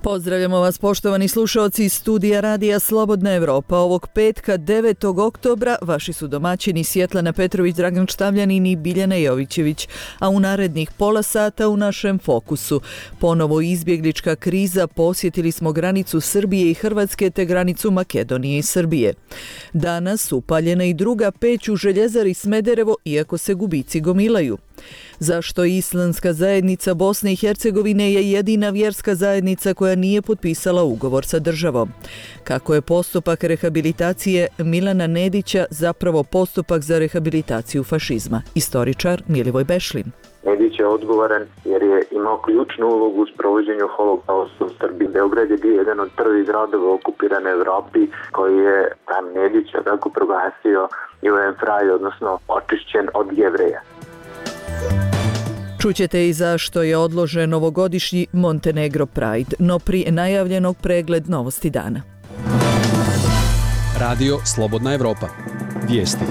Pozdravljamo vas poštovani slušaoci iz studija Radija Slobodna Evropa. Ovog petka 9. oktobra vaši su domaćini Svjetlana Petrović, Dragan Štavljanin i Biljana Jovićević, a u narednih pola sata u našem fokusu ponovo izbjeglička kriza, posjetili smo granicu Srbije i Hrvatske te granicu Makedonije i Srbije. Danas upaljena i druga peć u željezari Smederevo, iako se gubici gomilaju. Zašto Islamska zajednica Bosne i Hercegovine je jedina vjerska zajednica koja nije potpisala ugovor sa državom? Kako je postupak rehabilitacije Milana Nedića zapravo postupak za rehabilitaciju fašizma? Istoričar Milivoj Bešlin. Nedić je odgovoran jer je imao ključnu ulogu u sprovođenju holokausta u Srbiji. Beograd je bio jedan od prvih gradova okupirane Evropi koji je tam Nedića tako proglasio Judenfrei, odnosno očišćen od Jevreja. Čućete i zašto je odložen ovogodišnji Montenegro Pride, no prije najavljenog pregled novosti dana. Radio Slobodna Evropa. Vijesti.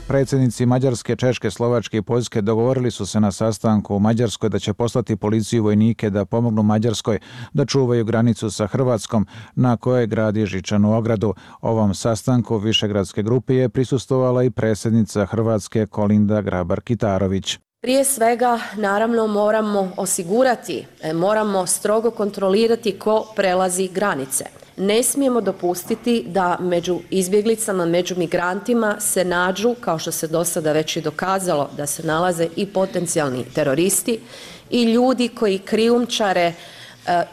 Predsjednici Mađarske, Češke, Slovačke i Poljske dogovorili su se na sastanku u Mađarskoj da će poslati policiju i vojnike da pomognu Mađarskoj da čuvaju granicu sa Hrvatskom na kojoj gradi žičanu ogradu. Ovom sastanku Višegradske grupe je prisustvovala i predsjednica Hrvatske Kolinda Grabar-Kitarović. Prije svega, naravno, moramo strogo kontrolirati ko prelazi granice. Ne smijemo dopustiti da među izbjeglicama, među migrantima se nađu, kao što se do sada već i dokazalo, da se nalaze i potencijalni teroristi i ljudi koji krijumčare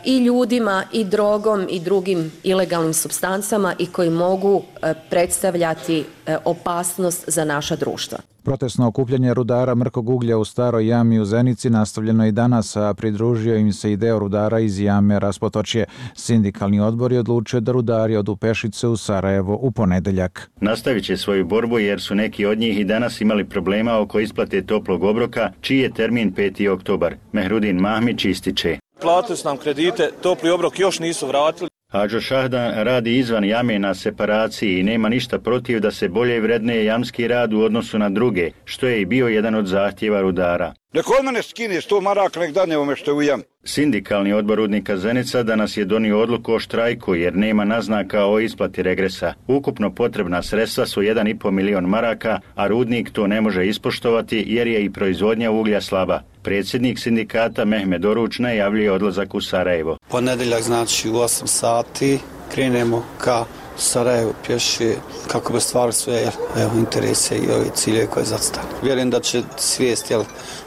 i ljudima i drogom i drugim ilegalnim supstancama i koji mogu predstavljati opasnost za naša društva. Protestno okupljanje rudara mrkog uglja u Staroj jami u Zenici nastavljeno je danas, a pridružio im se i deo rudara iz jame Raspotočje. Sindikalni odbor je odlučio da rudari odu pešice u Sarajevo u ponedeljak. Nastavit će svoju borbu jer su neki od njih i danas imali problema oko isplate toplog obroka, čiji je termin 5. oktobar. Mehrudin Mahmić ističe. Platili su nam kredite, topli obrok još nisu vratili. Hadžo Šahdan radi izvan jame na separaciji i nema ništa protiv da se bolje vredne jamski rad u odnosu na druge, što je i bio jedan od zahtjeva rudara. Nek od mene skine 100 maraka, nek dadne ovome što je u jam. Sindikalni odbor rudnika Zenica danas je donio odluku o štrajku jer nema naznaka o isplati regresa. Ukupno potrebna sredstva su 1,5 milion maraka, a rudnik to ne može ispoštovati jer je i proizvodnja uglja slaba. Predsjednik sindikata Mehmed Oruč najavljuje odlazak u Sarajevo. Ponedeljak znači u 8 sati krenemo ka Sarajevo pješe kako bi stvarili sve interese i ove cilje koje zacitali. Vjerujem da će svijest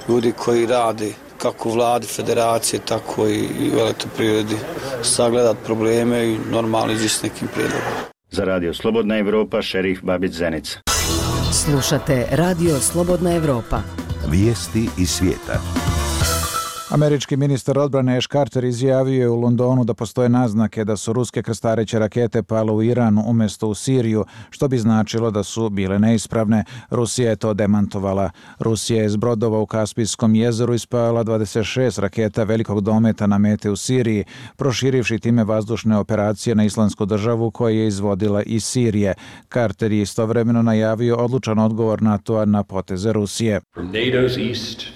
ljudi koji rade kako u vladi, federacije, tako i u elektroprivredi sagledat probleme i normalno ići s nekim prijedlogom. Za Radio Slobodna Evropa, Šerif Babić, Zenica. Slušate Radio Slobodna Evropa. Vijesti iz svijeta. Američki ministar odbrane Ash Carter izjavio je u Londonu da postoje naznake da su ruske krstareće rakete pale u Iran umjesto u Siriju, što bi značilo da su bile neispravne. Rusija je to demantovala. Rusija je s brodova u Kaspijskom jezeru ispala 26 raketa velikog dometa na mete u Siriji, proširivši time vazdušne operacije na Islamsku državu koje je izvodila iz Sirije. Carter je istovremeno najavio odlučan odgovor NATO-a na poteze Rusije.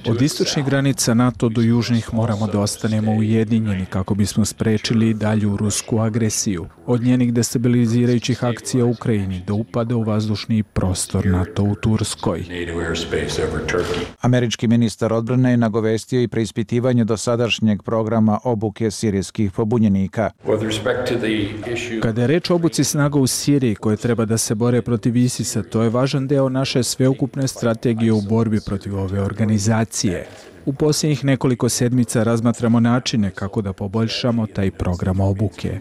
Od istočnih granica NATO do južnih moramo da ostanemo ujedinjeni kako bismo sprečili dalju rusku agresiju. Od njenih destabilizirajućih akcija u Ukrajini do upada u vazdušni prostor NATO u Turskoj. Američki ministar odbrane je nagovestio i preispitivanje dosadašnjeg programa obuke sirijskih pobunjenika. Kada je reč o obuci snaga u Siriji koje treba da se bore protiv ISIS-a, to je važan deo naše sveukupne strategije u borbi protiv ove organizacije. U posljednjih nekoliko sedmica razmatramo načine kako da poboljšamo taj program obuke.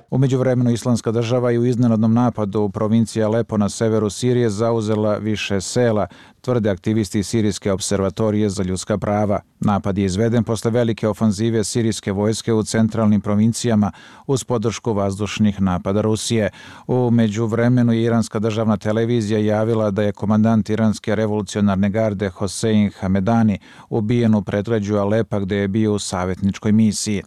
U međuvremenu Islamska država je u iznenadnom napadu u provinciji Alepo na severu Sirije zauzela više sela, tvrde aktivisti Sirijske observatorije za ljudska prava. Napad je izveden posle velike ofanzive sirijske vojske u centralnim provincijama uz podršku vazdušnih napada Rusije. U međuvremenu je iranska državna televizija javila da je komandant iranske revolucionarne garde Hosein Hamedani ubijen u predgrađu Alepa gde je bio u savjetničkoj misiji.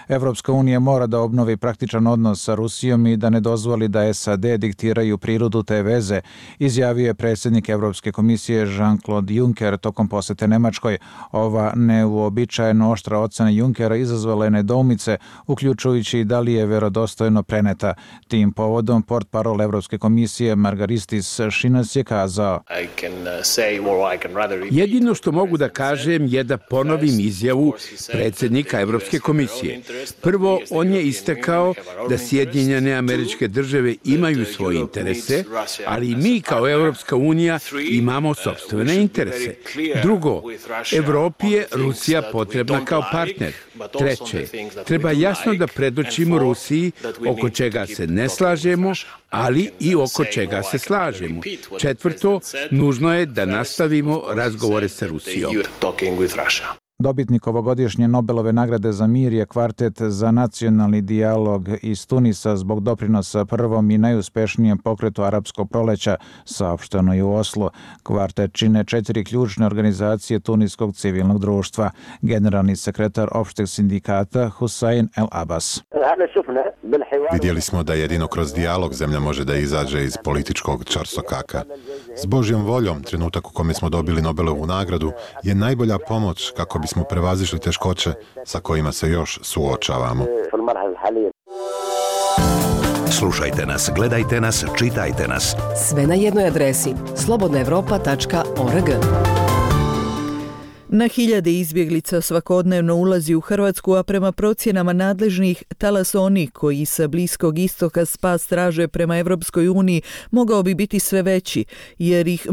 Evropska unija mora da obnovi praktičan odnos sa Rusijom i da ne dozvoli da SAD diktiraju prirodu te veze, izjavio je predsjednik Evropske komisije Jean-Claude Juncker tokom posete Nemačkoj. Ova neuobičajeno oštra ocena Junckera izazvala je nedoumice, uključujući i da li je verodostojno preneta. Tim povodom portparol Evropske komisije Margaristis Šinas je kazao: jedino što mogu da kažem je da ponovim izjavu predsjednika Evropske komisije. Prvo, on je istakao da Sjedinjene Američke Države imaju svoje interese, ali mi kao Evropska unija imamo sopstvene interese. Drugo, Evropi je Rusija potrebna kao partner. Treće, treba jasno da predočimo Rusiji oko čega se ne slažemo, ali i oko čega se slažemo. Četvrto, nužno je da nastavimo razgovore sa Rusijom. Dobitnik ovogodišnje Nobelove nagrade za mir je kvartet za nacionalni dijalog iz Tunisa zbog doprinosa prvom i najuspešnijem pokretu arapskog proleća, saopšteno je u Oslu. Kvartet čine 4 ključne organizacije tuniskog civilnog društva. Generalni sekretar opšteg sindikata Hussein El Abbas. Vidjeli smo da jedino kroz dijalog zemlja može da izađe iz političkog čarsokaka. S Božjom voljom, trenutak u kome smo dobili Nobelovu nagradu je najbolja pomoć kako bismo prevazišli teškoće sa kojima se još suočavamo. Slušajte nas, gledajte nas, čitajte nas. Sve na jednoj adresi slobodnaevropa.org. Na hiljade izbjeglica svakodnevno ulazi u Hrvatsku, a prema procjenama nadležnih talas onih koji sa Bliskog istoka spas traže prema Evropskoj uniji mogao bi biti sve veći, jer ih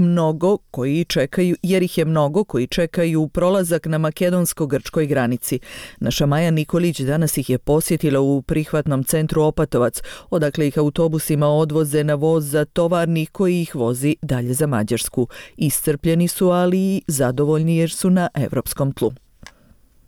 je mnogo koji čekaju prolazak na makedonsko-grčkoj granici. Naša Maja Nikolić danas ih je posjetila u prihvatnom centru Opatovac, odakle ih autobusima odvoze na voz za tovarnik koji ih vozi dalje za Mađarsku. Iscrpljeni su, ali i zadovoljni jer su na evropskom tlu.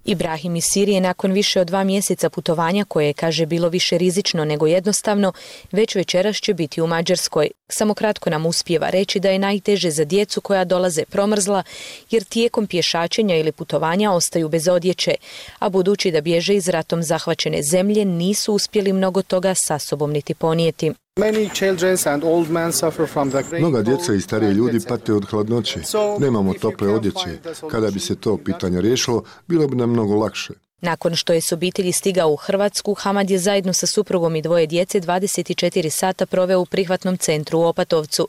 Ibrahim iz Sirije nakon više od 2 mjeseca putovanja, koje je, kaže, bilo više rizično nego jednostavno, već večeras će biti u Mađarskoj. Samo kratko nam uspijeva reći da je najteže za djecu koja dolaze promrzla, jer tijekom pješačenja ili putovanja ostaju bez odjeće, a budući da bježe iz ratom zahvaćene zemlje, nisu uspjeli mnogo toga sa sobom niti ponijeti. Mnoga djeca i stariji ljudi pate od hladnoće. Nemamo tople odjeće. Kada bi se to pitanje riješilo, bilo bi nam mnogo lakše. Nakon što je s obitelji stigao u Hrvatsku, Hamad je zajedno sa suprugom i 2 djece 24 sata proveo u prihvatnom centru u Opatovcu.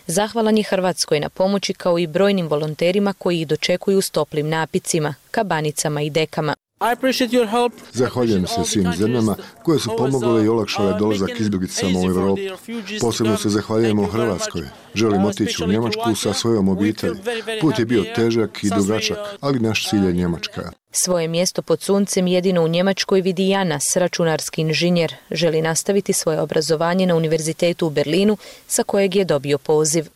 Zahvalan je Hrvatskoj na pomoći, kao i brojnim volonterima koji ih dočekuju s toplim napicima, kabanicama i dekama. Zahvaljujem se svim zemljama koje su pomogle i olakšale dolazak izbjeglicama u Europu. Posebno se zahvaljujemo Hrvatskoj. Želim otići u Njemačku sa svojom obitelji. Put je bio težak i dugačak, ali naš cilj je Njemačka. Svoje mjesto pod suncem jedino u Njemačkoj vidi Janas, računarski inženjer. Želi nastaviti svoje obrazovanje na univerzitetu u Berlinu, sa kojeg je dobio poziv.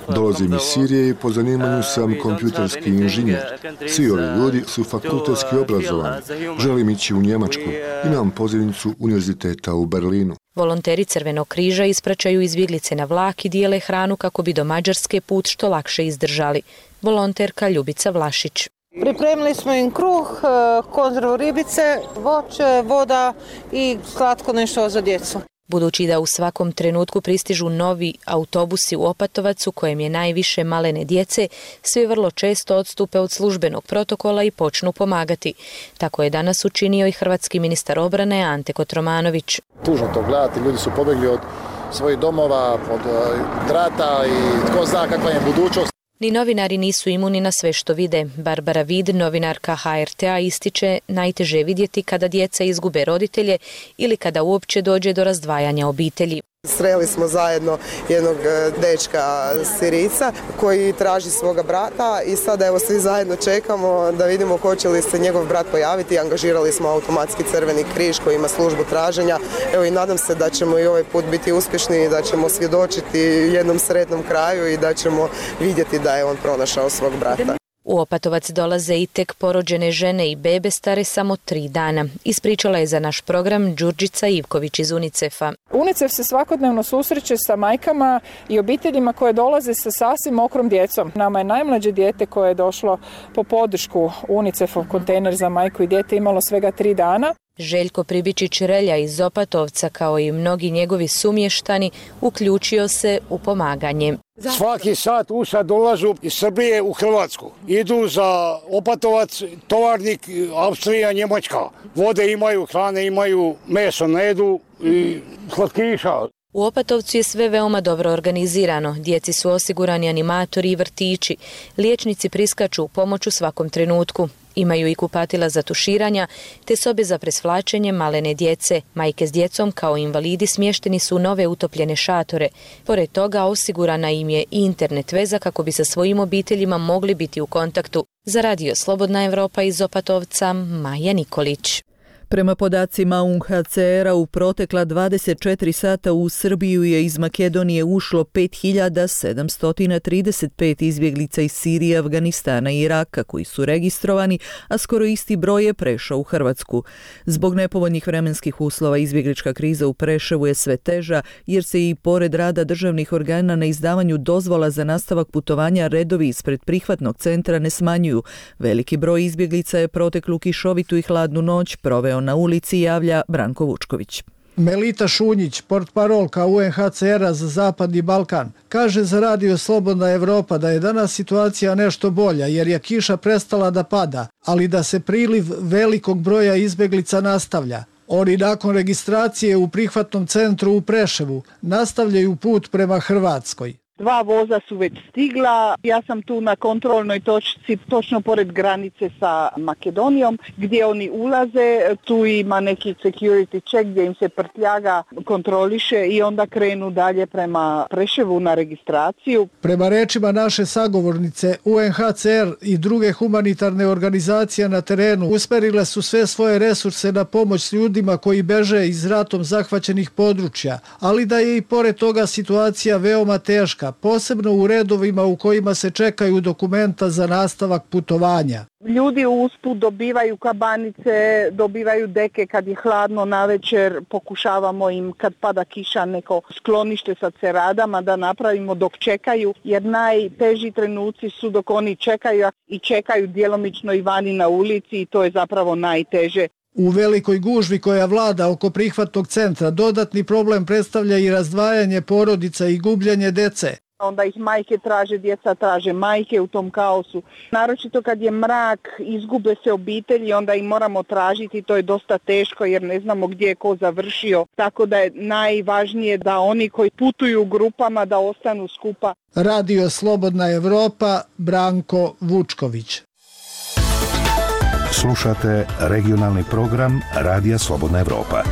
Dolazim iz Sirije i po zanimanju sam kompjuterski inženjer. Svi ovi ljudi su fakultetski obrazovani. Želim ići u Njemačku. Imam pozivnicu univerziteta u Berlinu. Volonteri Crvenog križa ispraćaju izbjeglice na vlak i dijele hranu kako bi do Mađarske put što lakše izdržali. Volonterka Ljubica Vlašić. Pripremili smo im kruh, konzervu ribice, voće, voda i slatko nešto za djecu. Budući da u svakom trenutku pristižu novi autobusi u Opatovac u kojem je najviše malene djece, svi vrlo često odstupe od službenog protokola i počnu pomagati. Tako je danas učinio i hrvatski ministar obrane Ante Kotromanović. Tužno to gledati, ljudi su pobjegli od svojih domova, od rata i tko zna kakva je budućnost. Ni novinari nisu imuni na sve što vide. Barbara Vid, novinarka HRT-a, ističe najteže vidjeti kada djeca izgube roditelje ili kada uopće dođe do razdvajanja obitelji. Sreli smo zajedno jednog dečka Sirijca koji traži svoga brata i sada evo svi zajedno čekamo da vidimo hoće li se njegov brat pojaviti. Angažirali smo automatski Crveni križ koji ima službu traženja. Evo i nadam se da ćemo i ovaj put biti uspješni i da ćemo svjedočiti jednom sretnom kraju i da ćemo vidjeti da je on pronašao svog brata. U Opatovac dolaze i tek porođene žene i bebe stare samo 3 dana. Ispričala je za naš program Đurđica Ivković iz UNICEF-a. UNICEF se svakodnevno susreće sa majkama i obiteljima koje dolaze sa sasvim mokrom djecom. Nama je najmlađe dijete koje je došlo po podršku UNICEF-ov kontejner za majku i dijete imalo svega 3 dana. Željko Pribičić-Relja iz Opatovca, kao i mnogi njegovi sumještani, uključio se u pomaganje. Svaki sat dolažu iz Srbije u Hrvatsku. Idu za Opatovac, Tovarnik, Austrija, Njemačka. Vode imaju, hrane imaju, meso ne jedu i slatkiša. U Opatovcu je sve veoma dobro organizirano. Djeci su osigurani animatori i vrtići. Liječnici priskaču u pomoć u svakom trenutku. Imaju i kupatila za tuširanja, te sobe za presvlačenje malene djece. Majke s djecom kao invalidi smješteni su u nove utopljene šatore. Pored toga osigurana im je i internet veza kako bi sa svojim obiteljima mogli biti u kontaktu. Za Radio Slobodna Evropa iz Opatovca, Maja Nikolić. Prema podacima UNHCR-a u protekla 24 sata u Srbiju je iz Makedonije ušlo 5735 izbjeglica iz Sirije, Afganistana i Iraka koji su registrovani, a skoro isti broj je prešao u Hrvatsku. Zbog nepovoljnih vremenskih uslova izbjeglička kriza u Preševu je sve teža jer se i pored rada državnih organa na izdavanju dozvola za nastavak putovanja redovi ispred prihvatnog centra ne smanjuju. Veliki broj izbjeglica je proteklu kišovitu i hladnu noć proveo na ulici, javlja Branko Vučković. Melita Šunjić, portparolka UNHCR-a za Zapadni Balkan, kaže za Radio Slobodna Evropa da je danas situacija nešto bolja jer je kiša prestala da pada, ali da se priliv velikog broja izbjeglica nastavlja. Oni nakon registracije u prihvatnom centru u Preševu nastavljaju put prema Hrvatskoj. 2 voza su već stigla, ja sam tu na kontrolnoj točci točno pored granice sa Makedonijom gdje oni ulaze, tu ima neki security check gdje im se prtljaga kontroliše i onda krenu dalje prema Preševu na registraciju. Prema rečima naše sagovornice, UNHCR i druge humanitarne organizacije na terenu usmjerile su sve svoje resurse na pomoć ljudima koji beže iz ratom zahvaćenih područja, ali da je i pored toga situacija veoma teška, posebno u redovima u kojima se čekaju dokumenta za nastavak putovanja. Ljudi usput dobivaju kabanice, dobivaju deke kad je hladno navečer, pokušavamo im kad pada kiša neko sklonište sa ceradama da napravimo dok čekaju, jer najteži trenuci su dok oni čekaju i čekaju djelomično i vani na ulici i to je zapravo najteže. U velikoj gužvi koja vlada oko prihvatnog centra dodatni problem predstavlja i razdvajanje porodica i gubljenje dece. Onda ih majke traže, djeca traže majke u tom kaosu. Naročito kad je mrak, izgube se obitelji, onda ih moramo tražiti, to je dosta teško jer ne znamo gdje je ko završio. Tako da je najvažnije da oni koji putuju u grupama da ostanu skupa. Radio Slobodna Evropa, Branko Vučković. Slušate regionalni program Radija Slobodna Evropa.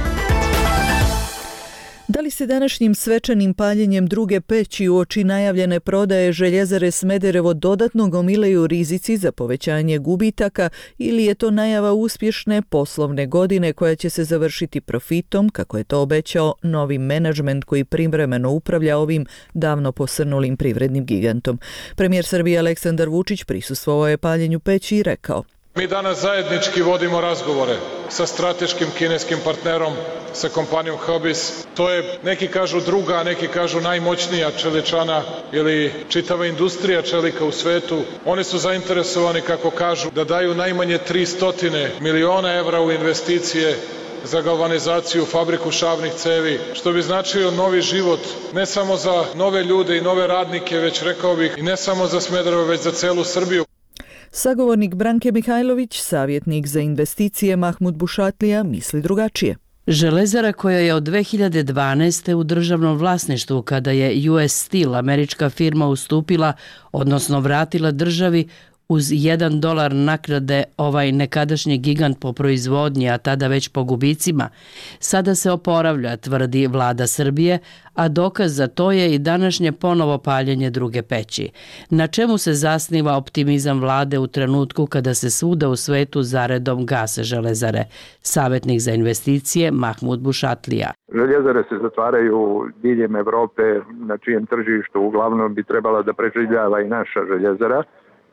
Da li se današnjim svečanim paljenjem druge peći uoči najavljene prodaje Željezare Smederevo dodatno gomilaju rizici za povećanje gubitaka ili je to najava uspješne poslovne godine koja će se završiti profitom, kako je to obećao novi menadžment koji privremeno upravlja ovim davno posrnulim privrednim gigantom? Premijer Srbije Aleksandar Vučić prisustvovao je paljenju peći i rekao: Mi danas zajednički vodimo razgovore sa strateškim kineskim partnerom, sa kompanijom Hubis. To je, neki kažu druga, neki kažu najmoćnija čeličana ili čitava industrija čelika u svetu. Oni su zainteresovani, kako kažu, da daju najmanje 300 miliona evra u investicije za galvanizaciju, fabriku šavnih cevi, što bi značio novi život, ne samo za nove ljude i nove radnike, već rekao bih i ne samo za Smederevo, već za celu Srbiju. Sagovornik Branke Mihajlović, savjetnik za investicije Mahmud Bušatlija, misli drugačije. Železara koja je od 2012. u državnom vlasništvu kada je US Steel, američka firma, ustupila, odnosno vratila državi uz $1 naknade ovaj nekadašnji gigant po proizvodnji, a tada već po gubicima, sada se oporavlja, tvrdi vlada Srbije, a dokaz za to je i današnje ponovo paljenje druge peći. Na čemu se zasniva optimizam vlade u trenutku kada se svuda u svetu zaredom gase železare? Savjetnik za investicije Mahmud Bušatlija. Željezare se zatvaraju diljem Evrope, na čijem tržištu uglavnom bi trebala da preživljava i naša željezara.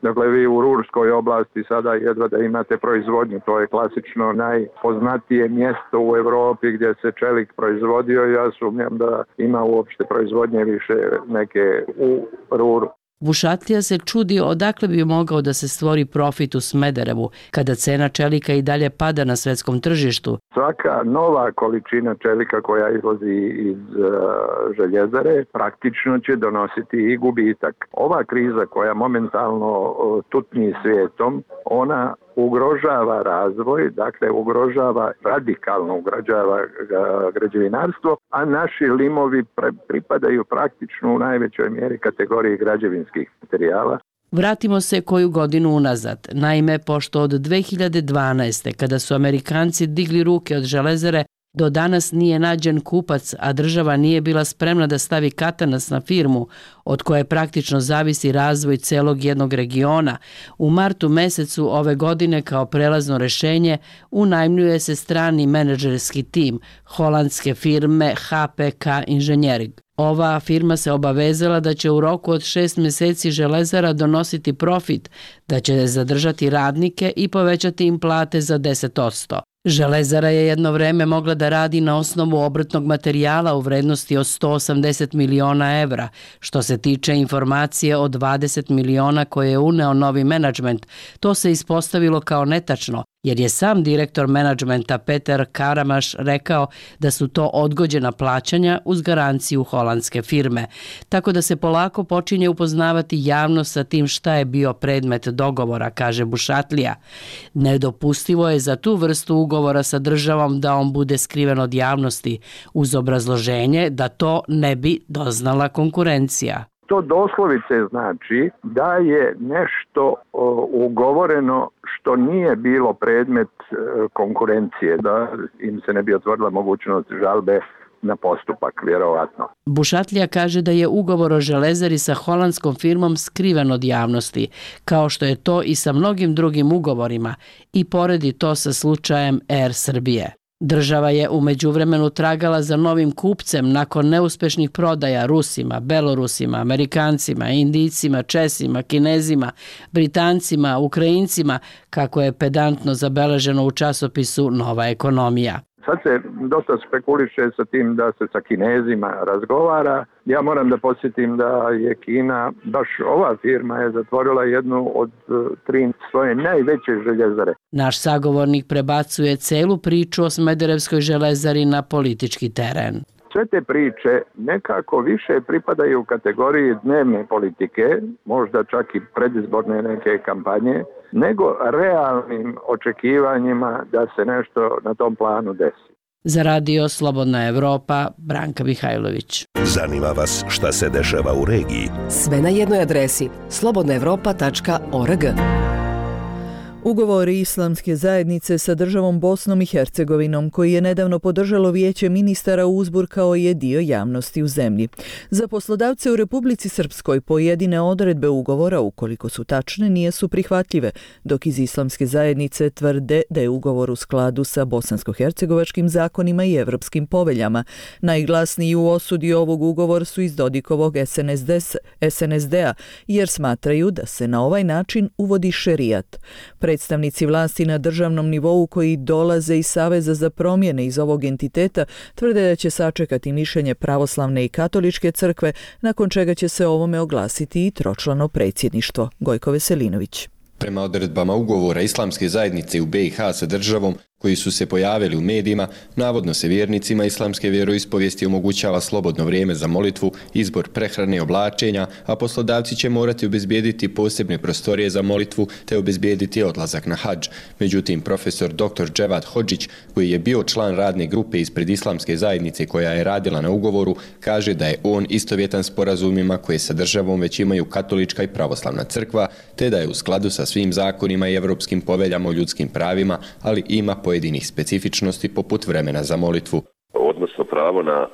Dakle, vi u Rurskoj oblasti sada jedva da imate proizvodnju, to je klasično najpoznatije mjesto u Europi gdje se čelik proizvodio. Ja sumnjam da ima uopšte proizvodnje više neke u Ruru. Bušatlija se čudi odakle bi mogao da se stvori profit u Smederevu, kada cena čelika i dalje pada na svetskom tržištu. Svaka nova količina čelika koja izlazi iz željezare praktično će donositi i gubitak. Ova kriza koja momentalno tutnji svijetom, ona ugrožava razvoj, dakle radikalno ugrožava građevinarstvo, a naši limovi pripadaju praktično u najvećoj mjeri kategoriji građevinskih materijala. Vratimo se koju godinu unazad. Naime, pošto od 2012. kada su Amerikanci digli ruke od železare, do danas nije nađen kupac, a država nije bila spremna da stavi katanac na firmu, od koje praktično zavisi razvoj celog jednog regiona. U martu mesecu ove godine kao prelazno rešenje unajmljuje se strani menadžerski tim holandske firme HPK Inženjering. Ova firma se obavezala da će u roku od 6 mjeseci železara donositi profit, da će zadržati radnike i povećati im plate za 10%. Železara je jedno vreme mogla da radi na osnovu obrtnog materijala u vrednosti od 180 miliona evra. Što se tiče informacije o 20 miliona koje je uneo novi menadžment, to se ispostavilo kao netačno, jer je sam direktor menadžmenta Peter Karamaš rekao da su to odgođena plaćanja uz garanciju holandske firme. Tako da se polako počinje upoznavati javnost sa tim šta je bio predmet dogovora, kaže Bušatlija. Nedopustivo je za tu vrstu ugovora sa državom da on bude skriven od javnosti, uz obrazloženje da to ne bi doznala konkurencija. To doslovice znači da je nešto ugovoreno što nije bilo predmet konkurencije, da im se ne bi otvorila mogućnost žalbe na postupak, vjerovatno. Bušatlija kaže da je ugovor o železari sa holandskom firmom skriven od javnosti, kao što je to i sa mnogim drugim ugovorima, i poredi to sa slučajem Air Srbije. Država je u međuvremenu tragala za novim kupcem nakon neuspešnih prodaja Rusima, Belorusima, Amerikancima, Indijcima, Česima, Kinezima, Britancima, Ukrajincima, kako je pedantno zabeleženo u časopisu Nova ekonomija. Sad se dosta spekuliše sa tim da se sa Kinezima razgovara. Ja moram da podsjetim da je Kina, baš ova firma je zatvorila jednu od 3 svoje najveće željezare. Naš sagovornik prebacuje celu priču o Smederevskoj železari na politički teren. Sve te priče nekako više pripadaju u kategoriji dnevne politike, možda čak i predizborne neke kampanje, nego realnim očekivanjima da se nešto na tom planu desi. Za radio Slobodna Evropa, Branka Mihajlović. Zanima vas šta se dešava u regiji? Sve na jednoj adresi slobodnaevropa.org. Ugovori Islamske zajednice sa državom Bosnom i Hercegovinom, koji je nedavno podržalo Vijeće ministara, uzburkao je dio javnosti u zemlji. Za poslodavce u Republici Srpskoj pojedine odredbe ugovora, ukoliko su tačne, nisu prihvatljive, dok iz Islamske zajednice tvrde da je ugovor u skladu sa bosansko-hercegovačkim zakonima i evropskim poveljama. Najglasniji u osudi ovog ugovora su iz Dodikovog SNSD-a, jer smatraju da se na ovaj način uvodi šerijat. Predstavnici vlasti na državnom nivou koji dolaze iz Saveza za promjene iz ovog entiteta tvrde da će sačekati mišljenje pravoslavne i katoličke crkve, nakon čega će se ovome oglasiti i tročlano predsjedništvo. Gojko Veselinović. Prema odredbama ugovora Islamske zajednice u BiH sa državom, koji su se pojavili u medijima, navodno se vjernicima islamske vjeroispovijesti omogućava slobodno vrijeme za molitvu, izbor prehrane i oblačenja, a poslodavci će morati obezbijediti posebne prostorije za molitvu te obezbijediti odlazak na hadž. Međutim, profesor dr. Dževad Hodžić, koji je bio član radne grupe ispred Islamske zajednice koja je radila na ugovoru, kaže da je on istovjetan sporazumima koje sa državom već imaju katolička i pravoslavna crkva, te da je u skladu sa svim zakonima i evropskim poveljama o ljudskim pravima, ali ima pojedinih specifičnosti poput vremena za molitvu. Odnosno pravo na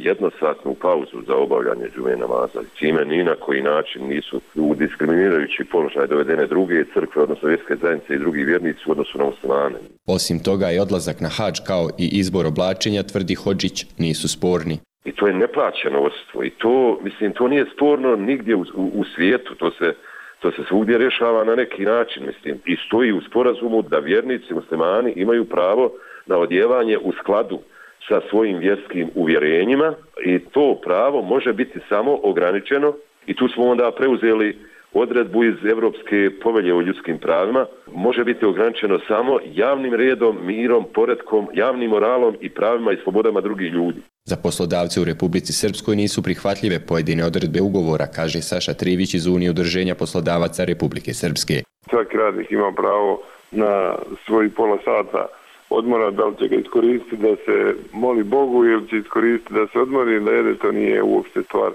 jednosatnu pauzu za obavljanje džume namaza, čime ni na koji način nisu u diskriminirajući položaj dovedene druge crkve, odnosno vjerske zajednice i drugi vjernici u odnosu na muslimane. Osim toga i odlazak na hadž kao i izbor oblačenja, tvrdi Hodžić, nisu sporni. I to je neplaćeno odsustvo i to, mislim, to nije sporno nigdje u svijetu, to se To se svugdje rješava na neki način, mislim, i stoji u sporazumu da vjernici muslimani imaju pravo na odjevanje u skladu sa svojim vjerskim uvjerenjima i to pravo može biti samo ograničeno i tu smo onda preuzeli odredbu iz Europske povelje o ljudskim pravima, može biti ograničeno samo javnim redom, mirom, poretkom, javnim moralom i pravima i slobodama drugih ljudi. Za poslodavce u Republici Srpskoj nisu prihvatljive pojedine odredbe ugovora, kaže Saša Trivić iz Unije udruženja poslodavaca Republike Srpske. Svaki radnik ima pravo na svoj pola sata odmora, da li će ga iskoristiti da se moli Bogu ili će iskoristiti da se odmori, da jede, to nije uopšte stvar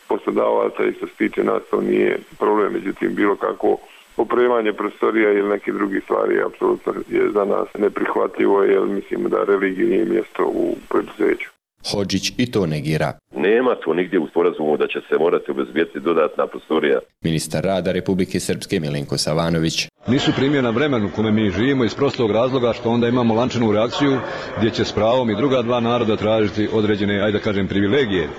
poslodavaca i što se tiče nas to nije problem, međutim bilo kako opremanje prostorija ili neke druge stvari apsolutno je za nas neprihvatljivo jer mislimo da religija nije mjesto u preduzeću. Hodžić i to negira. Nema to nigdje u sporazumu da će se morati obezbijeti dodatna prostorija. Ministar rada Republike Srpske Milenko Savanović. Nisu primjena vremenu u kome mi živimo iz prostog razloga što onda imamo lančanu reakciju gdje će s pravom i druga dva naroda tražiti određene, ajde da kažem, privilegije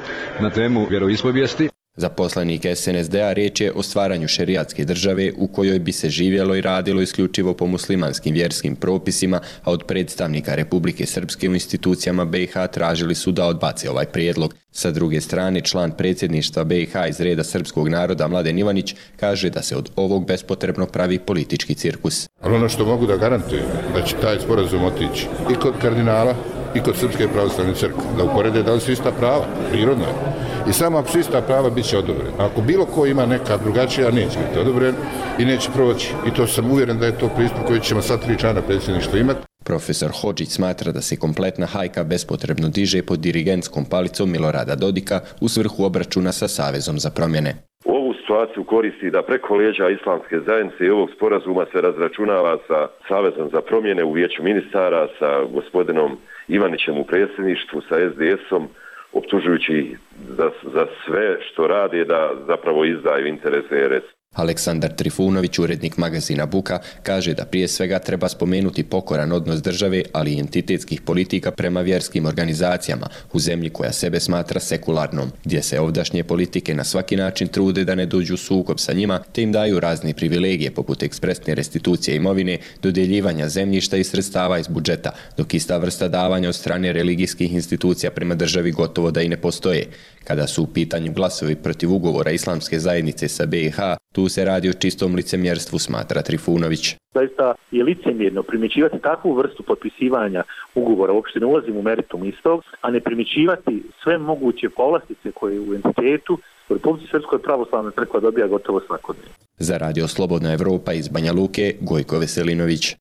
na temu vjeroispovijesti. Za poslanik SNSD-a riječ je o stvaranju šerijatske države u kojoj bi se živjelo i radilo isključivo po muslimanskim vjerskim propisima, a od predstavnika Republike Srpske u institucijama BiH tražili su da odbace ovaj prijedlog. Sa druge strane, član predsjedništva BiH iz reda srpskog naroda Mladen Ivanić kaže da se od ovog bespotrebno pravi politički cirkus. Ali ono što mogu da garantujem, da će taj sporazum otići i kod kardinala i kod Srpske pravoslavne crkve, da uporede da li su ista prava, prirodno je. I samo ako su ista prava, bit će odobren. Ako bilo ko ima neka drugačija, neće biti odobren i neće proći. I to sam uvjeren da je to pristup koji ćemo sad 3 člana predsjedništva imati. Profesor Hodžić smatra da se kompletna hajka bespotrebno diže pod dirigentskom palicom Milorada Dodika u svrhu obračuna sa Savezom za promjene. Ovu situaciju koristi da preko leđa islamske zajednice i ovog sporazuma se razračunava sa Savezom za promjene u vijeću ministara, sa gospodinom Ivanićem u predsjedništvu, sa SDS-om, optužujući za sve što rade da zapravo izdaju interese RS. Aleksandar Trifunović, urednik magazina Buka, kaže da prije svega treba spomenuti pokoran odnos države, ali i entitetskih politika prema vjerskim organizacijama u zemlji koja sebe smatra sekularnom, gdje se ovdašnje politike na svaki način trude da ne dođu u sukob sa njima, te im daju razne privilegije poput ekspresne restitucije imovine, dodjeljivanja zemljišta i sredstava iz budžeta, dok ista vrsta davanja od strane religijskih institucija prema državi gotovo da i ne postoje. Kada su u pitanju glasovi protiv ugovora islamske zajednice sa BiH, tu se radi o čistom licemjerstvu, smatra Trifunović. Zaista je licemjerno primjećivati takvu vrstu potpisivanja ugovora, uopšte ne ulazim u meritum istog, a ne primjećivati sve moguće povlastice koje u entitetu u Republici Srpskoj pravoslavnoj crkva dobija gotovo svakodnevno. Za Radio Slobodna Evropa iz Banja Luke, Gojko Veselinović.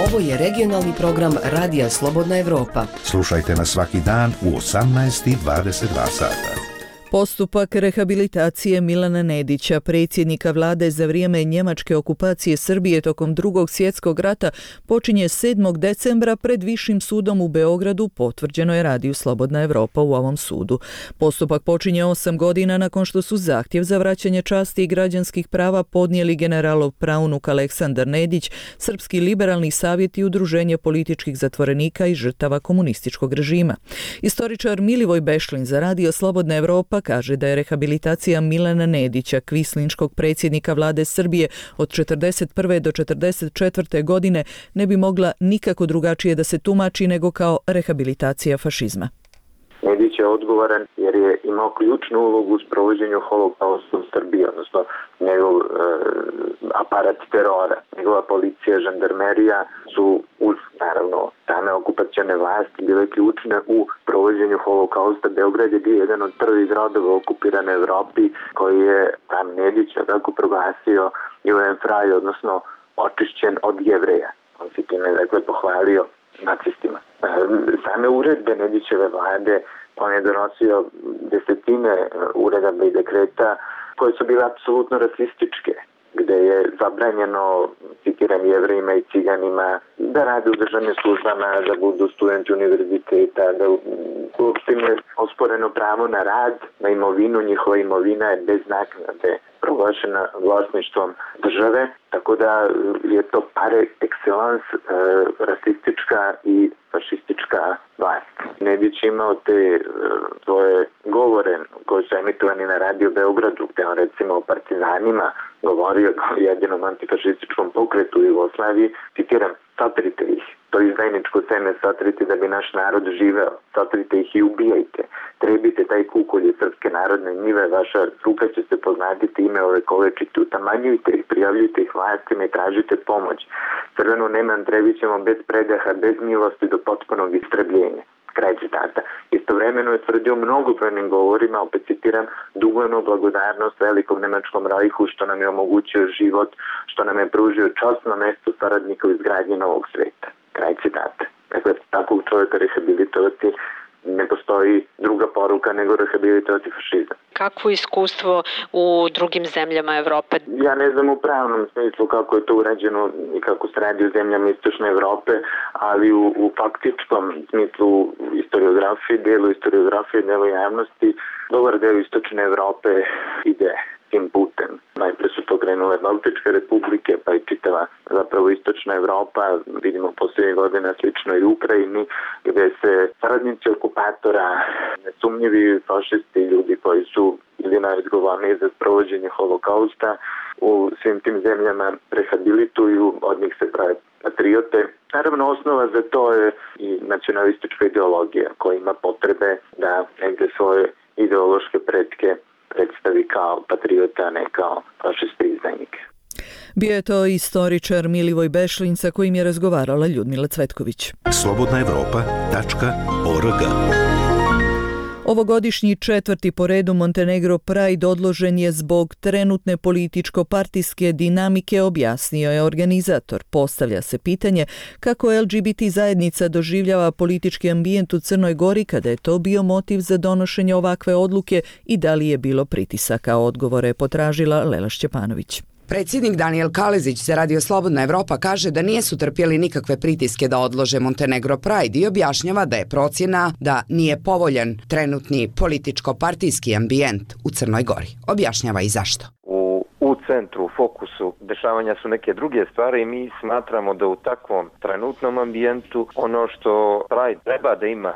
Ovo je regionalni program Radija Slobodna Evropa. Slušajte nas svaki dan u 18:22 sata. Postupak rehabilitacije Milana Nedića, predsjednika vlade za vrijeme njemačke okupacije Srbije tokom Drugog svjetskog rata, počinje 7. decembra pred Višim sudom u Beogradu, potvrđeno je Radiju Slobodna Evropa u ovom sudu. Postupak počinje 8 godina nakon što su zahtjev za vraćanje časti i građanskih prava podnijeli generalov praunuk Aleksandar Nedić, Srpski liberalni savjet i udruženje političkih zatvorenika i žrtava komunističkog režima. Istoričar Milivoj Bešlin za Radio Slobodna Evropa kaže da je rehabilitacija Milana Nedića, kvislinškog predsjednika vlade Srbije od 1941. do 1944. godine, ne bi mogla nikako drugačije da se tumači nego kao rehabilitacija fašizma. Nedić je odgovoran jer je imao ključnu ulogu u sprovođenju holokausta u Srbiji, odnosno njegov aparat terora. Njegova policija, žandarmerija su uz, naravno, same okupacione vlasti bile ključne u provođenju holokausta. Beograd je bio jedan od prvih gradova u okupiranoj Evropi koji je tam Nedića tako proglasio Judenfrei, odnosno očišćen od Jevreja. On se time, dakle, pohvalio nacistima. Same uredbe Nedićeve vlade, on je donosio desetine uredaba i dekreta koje su bile apsolutno rasističke, gde je zabranjeno, citiram, Jevrejima i Ciganima da rade u državnim službama, da budu studenti univerziteta, da uopšte im je osporeno pravo na rad, na imovinu. Njihova imovina je bez naknade proglašena vlasništvom države, tako da je to par excellence rasistička i fašistička vlast. Nedić imao te svoje govore koji su emitovani na Radio Beogradu, gde on recimo o partizanima govorio kao jedinom antifašističkom pokretu u Jugoslaviji, citiram, satrite ih, to izdajničko seme satrite da bi naš narod živeo, satrite ih i ubijajte, trebite taj kukolj srpske narodne njive, vaša ruka će se poznatiti, ime ove kolečite, utamanjujte ih, prijavljujte ih vlastima i tražite pomoć. Crvenu Neman trebićemo bez predaha, bez milosti do potpunog istrebljenja. Kraj citata. Istovremeno je tvrdio mnogobrojnim govorima, opet citiram, dugujemo blagodarnost velikom nemačkom rajhu što nam je omogućio život, što nam je pružio časno mesto saradnika u izgradnji novog sveta. Kraj citata. Dakle, takvog čovjeka rehabilitovati ne postoji druga poruka nego rehabilitovati fašizam. Kakvo iskustvo u drugim zemljama Evrope? Ja ne znam u pravnom smislu kako je to urađeno i kako se radi u zemljama Istočne Evrope, ali u faktičkom smislu istoriografije, delu javnosti, dobar deo Istočne Evrope ide tim putem. Najpre su to krenule Baltičke republike, pa i čitava zapravo Istočna Evropa, vidimo posljednjih godina slično i u Ukrajini, gde se saradnici okupatora, nesumnjivi fašisti, ljudi koji su ili najodgovorniji za sprovođenje holokausta, u svim tim zemljama rehabilituju, od njih se prave patriote. Naravno, osnova za to je i nacionalistička ideologija koja ima potrebe da negde svoje ideološke pretke predstavi kao patriota, a ne kao fašiste i izdajnike. Bio je to istoričar Milivoj Bešlin sa kojim je razgovarala Ljudmila Cvetković. slobodnaevropa.org. Ovogodišnji 4. po redu Montenegro Pride odložen je zbog trenutne političko-partijske dinamike, objasnio je organizator. Postavlja se pitanje kako LGBT zajednica doživljava politički ambijent u Crnoj Gori kada je to bio motiv za donošenje ovakve odluke i da li je bilo pritisaka. Odgovore je potražila Lela Šćepanović. Predsjednik Danijel Kalezić za Radio Slobodna Evropa kaže da nisu trpjeli nikakve pritiske da odlože Montenegro Pride i objašnjava da je procjena da nije povoljan trenutni političko-partijski ambijent u Crnoj Gori. Objašnjava i zašto. U centru, u fokusu dešavanja su neke druge stvari i mi smatramo da u takvom trenutnom ambijentu ono što Pride treba da ima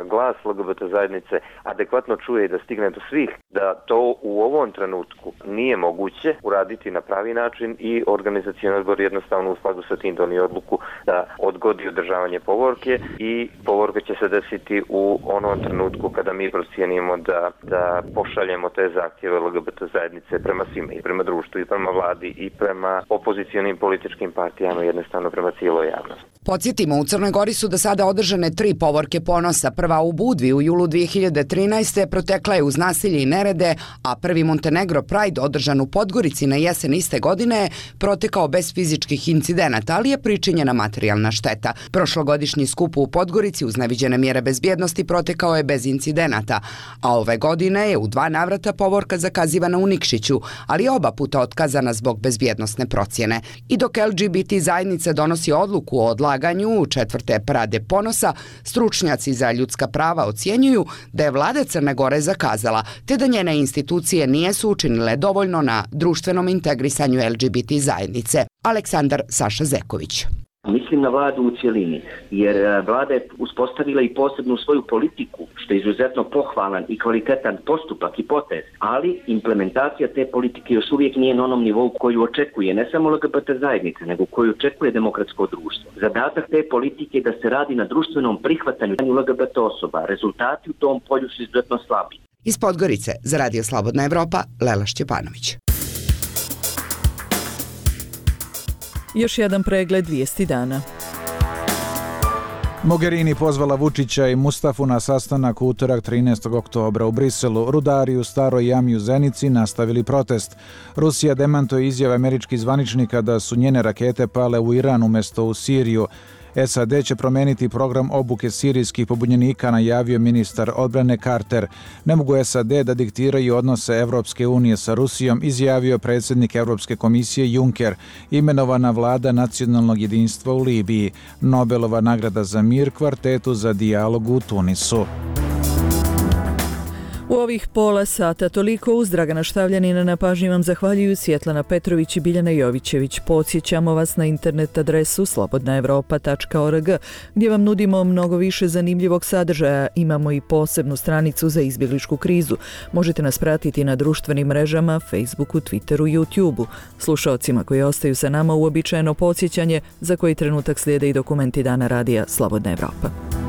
glas LGBT zajednice adekvatno čuje i da stigne do svih, da to u ovom trenutku nije moguće uraditi na pravi način i organizacioni odbor jednostavno u skladu sa tim donio odluku da odgodi održavanje povorke i povorka će se desiti u onom trenutku kada mi procijenimo da pošaljemo te zahtjeve LGBT zajednice prema svima i prema društvu i prema vladi i prema opozicionim političkim partijama, jednostavno prema cijeloj javnosti. Podsjetimo, u Crnoj Gori su do sada održane 3 povorke ponosa. Prva u Budvi u julu 2013. protekla je uz nasilje i nerede, a prvi Montenegro Pride održan u Podgorici na jesen iste godine protekao bez fizičkih incidenata, ali je pričinjena materijalna šteta. Prošlogodišnji skup u Podgorici uz neviđene mjere bezbjednosti protekao je bez incidenata, a ove godine je u 2 navrata povorka zakazivana u Nikšiću, ali oba puta otkazana zbog bezbjednosne procjene. I dok LGBT zajednica donosi odluku o odlaganju 4. parade ponosa, stručnjaci za ljudska prava ocjenjuju da je vlada Crne Gore zakazala, te da njene institucije nisu učinile dovoljno na društvenom integrisanju LGBT zajednice. Aleksandar Saša Zeković. Mislim na vladu u cjelini, jer vlada je uspostavila i posebnu svoju politiku, što je izuzetno pohvalan i kvalitetan postupak i potez, ali implementacija te politike još uvijek nije na onom nivou koju očekuje ne samo LGBT zajednica, nego koju očekuje demokratsko društvo. Zadatak te politike je da se radi na društvenom prihvatanju LGBT osoba. Rezultati u tom polju su izuzetno slabi. Iz Podgorice za Radio Slobodna Evropa, Lela Šćepanović. Još jedan pregled vijesti dana. Mogherini pozvala Vučića i Mustafu na sastanak u utorak 13. oktobra u Briselu. Rudari u Staroj jami u Zenici nastavili protest. Rusija demantuje izjave američkih zvaničnika da su njene rakete pale u Iran umjesto u Siriju. SAD će promijeniti program obuke sirijskih pobunjenika, najavio ministar odbrane Carter. Ne mogu SAD da diktiraju odnose Evropske unije sa Rusijom, izjavio predsjednik Europske komisije Juncker. Imenovana vlada nacionalnog jedinstva u Libiji. Nobelova nagrada za mir kvartetu za dijalog u Tunisu. U ovih pola sata toliko. Uz Dragana Štavljanina na pažnji vam zahvaljuju Svjetlana Petrović i Biljana Jovićević. Podsjećamo vas na internet adresu slobodnaevropa.org gdje vam nudimo mnogo više zanimljivog sadržaja. Imamo i posebnu stranicu za izbjegličku krizu. Možete nas pratiti na društvenim mrežama, Facebooku, Twitteru, YouTubeu. Slušaocima koji ostaju sa nama uobičajeno podsjećanje za koji trenutak slijede i dokumenti Dana radija Slobodna Evropa.